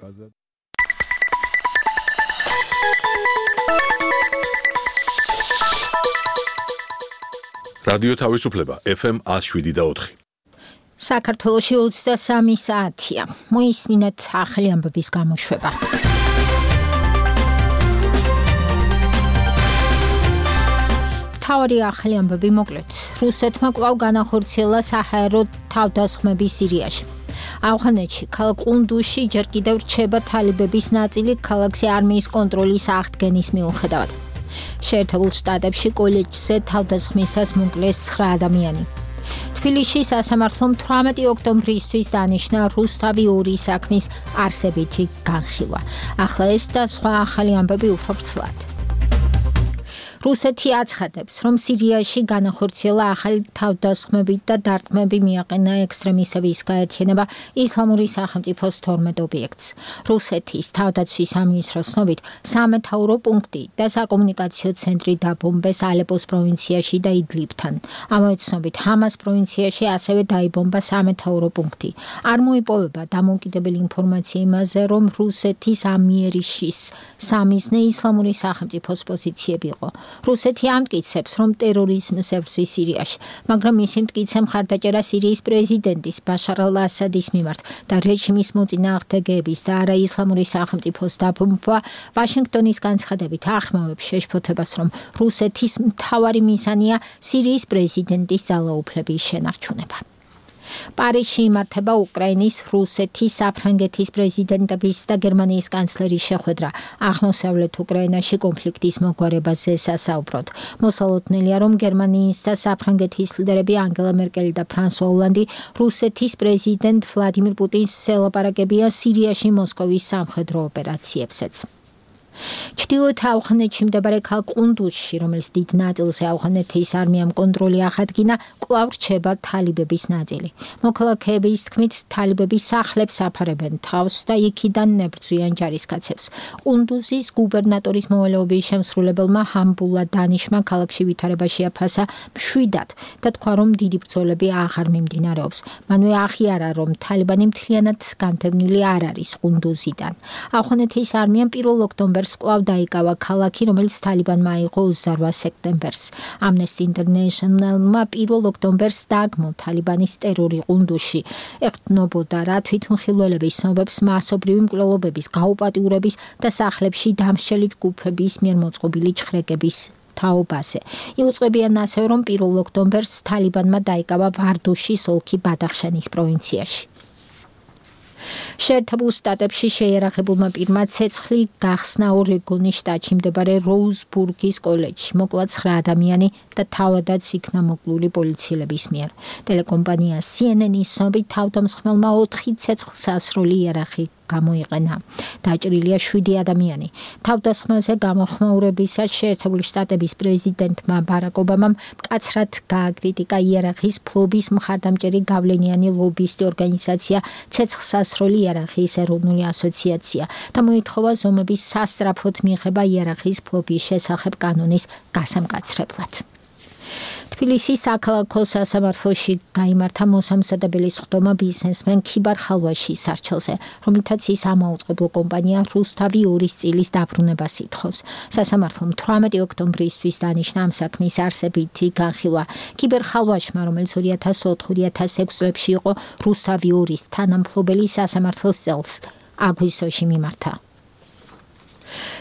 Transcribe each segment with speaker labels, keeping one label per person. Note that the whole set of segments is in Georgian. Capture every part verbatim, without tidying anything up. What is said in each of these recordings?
Speaker 1: კაზა რადიო თავისუფლება ეფ ემ one oh seven და four.
Speaker 2: საქართველოში ოცდასამი საათია. მოისმინეთ ახალი ამბების გამოშვება. თავი ახალი ამბები მოკლედ. რუსეთმა კვლავ განახორციელა საჰაერო თავდასხმები სირიაში. ავღანეთში ქალაქ ყუნდუზში ჯერ კიდევ რჩება თალიბების ნაწილი ქალაქის არმიის კონტროლის აღდგენის მიუხედავად. შეერთებულ შტატებში კოლეჯზე თავდასხმისას მოკლეს ცხრა ადამიანი. თბილისში სასამართლომ თვრამეტი ოქტომბრისთვის დანიშნა რუსთავი ორი საქმის არსებითი განხილვა. ახლა ეს და სხვა ახალი ამბები უფრო ვრცლად. რუსეთი აცხადებს, რომ სირიაში განახორციელა ახალი თავდასხმები და დარტყმები მიაყენა ექსტრემისტების გაერთიანება ისლამური სახელმწიფოს თორმეტ ობიექტს. რუსეთის თავდაცვის სამინისტროს ცნობით, სამეთაურო პუნქტი და საკომუნიკაციო ცენტრი დაბომბეს ალეპოს პროვინციაში და იდლიბთან. ამავე ცნობით, ჰამას პროვინციაში ასევე დაიბომბა სამეთაურო პუნქტი. არ მოიპოვება დამოუკიდებელი ინფორმაცია იმაზე, რომ რუსეთის ამიერიშის სამიზნე ისლამური სახელმწიფოს პოზიციები იყო. რუსეთი ამტკიცებს, რომ ტერორიზმს ებრძვის სირიაში, მაგრამ მისი მტკიცე მხარდაჭერა სირიის პრეზიდენტის ბაშარ ალ-ასადის მიმართ და რეჟიმის მოწინააღმდეგეების და არაისლამური სახელმწიფოს დაბომბვა ვაშინგტონის განცხადებით ახმოვებს შეშფოთებას, რომ რუსეთის მთავარი მიზანია სირიის პრეზიდენტის ძალაუფლების შენარჩუნება. პარიზში იმართება უკრაინის, რუსეთის, საფრანგეთის პრეზიდენტების და გერმანიის კანცლერის შეხვედრა აღმოსავლეთ უკრაინაში კონფლიქტის მოგვარებაზე სასაუბროდ. მოსალოდნელია, რომ გერმანიის და საფრანგეთის ლიდერები ანგელა მერკელი და ფრანსუა ოლანდი რუსეთის პრეზიდენტ ვლადიმირ პუტინს ელაპარაკებიან სირიაში მოსკოვის სამხედრო ოპერაციებზეც. ჩრდილოეთ ავღანეთში მდებარე ქალაქ ყუნდუზში, რომელიც დიდ ნაწილზე ავღანეთის არმიამ კონტროლი აღადგინა, კვლავ რჩება თალიბების ნაწილი. მოქალაქეების თქმით, თალიბები სახლებს აფარებენ თავს და იქიდან ნებრძვიან ჯარისკაცებს. ყუნდუზის გუბერნატორის მოვალეობის შემსრულებელმა ჰამბულა დანიშმა ქალაქში ვითარება შეაფასა მშვიდად და თქვა, რომ დიდი ბრძოლები აღარ მიმდინარეობს. მანვე აღიარა, რომ თალიბანი მთლიანად განდევნილი არ არის ყუნდუზიდან. ავღანეთის არმიამ პირველ ოქტომბერს კვლავ დაიკავა ქალაქი, რომელიც თალიბანმა აიღო ოცდაოთხ სექტემბერს. Amnesty International-მა პირველ ოქტომბერს დაგმო თალიბანის ტერორი ყუნდუზში. ეყრდნობოდა რა თვითმხილველების ცნობებს მასობრივი მკვლელობების, გაუპატიურების და სახლებში დამსჯელი ჯგუფების მიერ მოწყობილი ჩხრეკების თაობაზე. იუწყებიან ასევე, რომ პირველ ოქტომბერს თალიბანმა დაიკავა ვარდუშის ოლქი ბადახშანის პროვინციაში. შეერთებულ შტატებში შეიარაღებულმა პირმა ცეცხლი გახსნა ორეგონის შტატში მდებარე როუზბურგის კოლეჯში. მოკლა ცხრა ადამიანი და თავადაც იქნა მოკლული პოლიციელების მიერ. ტელეკომპანია სი ენ ენ-ის ცნობით, თავდამსხმელმა ოთხი ცეცხლსასროლი იარაღი გამოიყენა. დაჭრილია შვიდი ადამიანი. თავდასხმაზე გამოხმაურებისას შეერთებული შტატების პრეზიდენტმა ბარაკ ობამამ მკაცრად გააკრიტიკა იარაღის ფლობის მხარდამჭერი გავლენიანი ლობისტი ორგანიზაცია ცეცხლსასროლი იარაღის ეროვნული ასოციაცია და მოითხოვა ზომების სასწრაფოდ მიღება იარაღის ფლობის შესახებ კანონის გასამკაცრებლად. თბილისის საქალაქო სასამართლოში გაიმართა მოსამზადებელი სხდომა ბიზნესმენ ქიბარ ხალვაშის არჩელზე, რომლითაც ის ამაუწყებლო კომპანია რუსთავი ორის წილის დაბრუნებას ითხოვს. სასამართლომ თვრამეტი ოქტომბრისთვის დანიშნა ამ საქმის არსებითი განხილვა. ქიბერ ხალვაშმა, რომელიც ორი ათას ოთხ ორი ათას ექვსი წლებში იყო რუსთავი ორის თანამფლობელი, სასამართლოს წელს აგვისტოში მიმართა.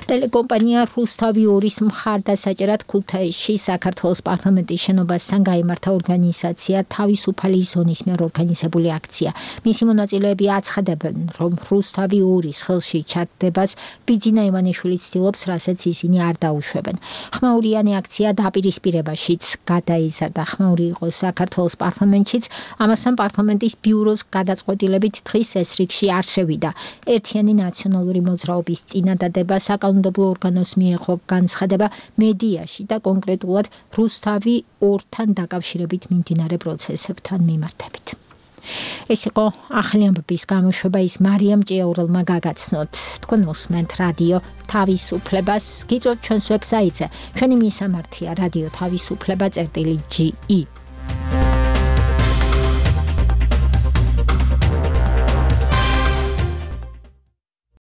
Speaker 2: ტელეკომპანია რუსთავი ორის მხარდასაჭერად ქუთაისში საქართველოს პარლამენტის შენობასთან გაიმართა ორგანიზაცია თავისუფალი ზონის მიერ ორგანიზებული აქცია. მისი მონაწილეები აცხადებენ, რომ რუსთავი ორის ხელში ჩაგდებას ბიძინა ივანიშვილი ცდილობს, რასაც ისინი არ დაუშვებენ. ხმაურიანი აქცია დაპირისპირებაშიც გადაიზარდა. ხმაური იყო საქართველოს პარლამენტშიც, ამასთან პარლამენტის ბიუროს გადაწყვეტილებით დღის ეს რიგში არ შევიდა. ერთიანი ნაციონალური მოძრაობის წინადადება საკანონმდებლო ორგანოს მიეღო განცხადება მედიაში და კონკრეტულად რუსთავი ორთან დაკავშირებით მიმდინარე პროცესებთან მიმართებით. ეს იყო ახალი ამბების გამოშვება, ის მარიამ ჭიაურელმა გაგაცნოთ. თქვენ მოსმენთ რადიო თავისუფლებას, გიწევთ ჩვენს ვებსაიტზე. ჩვენი მისამართია რადიო თავისუფლება წერტილი ჯი ი.